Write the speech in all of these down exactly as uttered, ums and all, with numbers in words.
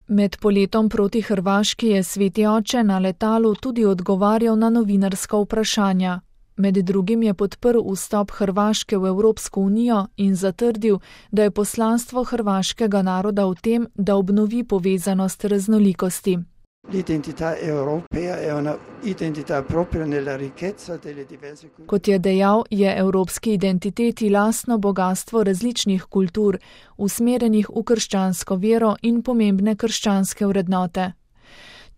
Med poletom proti Hrvaški je Sveti oče na letalu tudi odgovarjal na novinarska vprašanja. Med drugim je podprl vstop Hrvaške v Evropsko unijo in zatrdil, da je poslanstvo hrvaškega naroda v tem, da obnovi povezanost raznolikosti. Kot je dejal, je evropski identiteti lastno bogastvo različnih kultur, usmerjenih v krščansko vero in pomembne krščanske vrednote.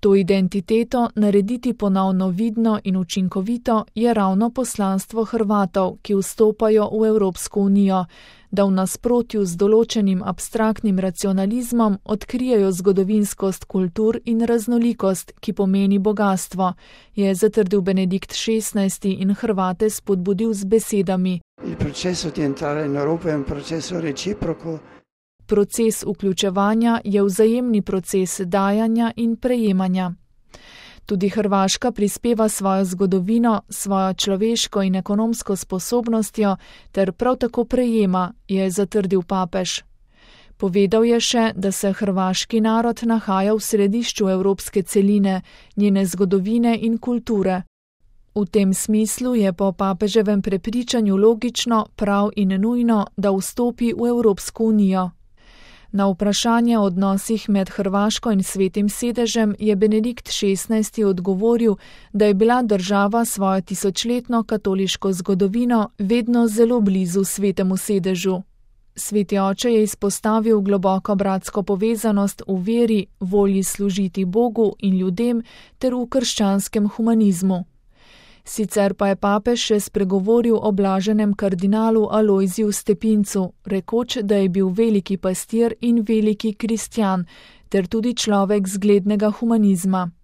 To identiteto narediti ponovno vidno in učinkovito je ravno poslanstvo Hrvatov, ki vstopajo v Evropsko unijo, da v nasprotju z določenim abstraktnim racionalizmom odkrijejo zgodovinskost kultur in raznolikost, ki pomeni bogastvo, je zatrdil Benedikt šestnajsti in Hrvate spodbudil z besedami. Proces vključevanja je vzajemni proces dajanja in prejemanja. Tudi Hrvaška prispeva svojo zgodovino, svojo človeško in ekonomsko sposobnostjo ter prav tako prejema, je zatrdil papež. Povedal je še, da se hrvaški narod nahaja v središču evropske celine, njene zgodovine in kulture. V tem smislu je po papeževem prepričanju logično, prav in nujno, da vstopi v Evropsko unijo. Na vprašanje o odnosih med Hrvaško in Svetim sedežem je Benedikt šestnajsti odgovoril, da je bila država svojo tisočletno katoliško zgodovino vedno zelo blizu Svetemu sedežu. Sveti oče je izpostavil globoko bratsko povezanost v veri, volji služiti Bogu in ljudem ter v krščanskem humanizmu. Sicer pa je papež še spregovoril o blaženem kardinalu Alojziju Stepincu, rekoč, da je bil veliki pastir in veliki kristjan, ter tudi človek zglednega humanizma.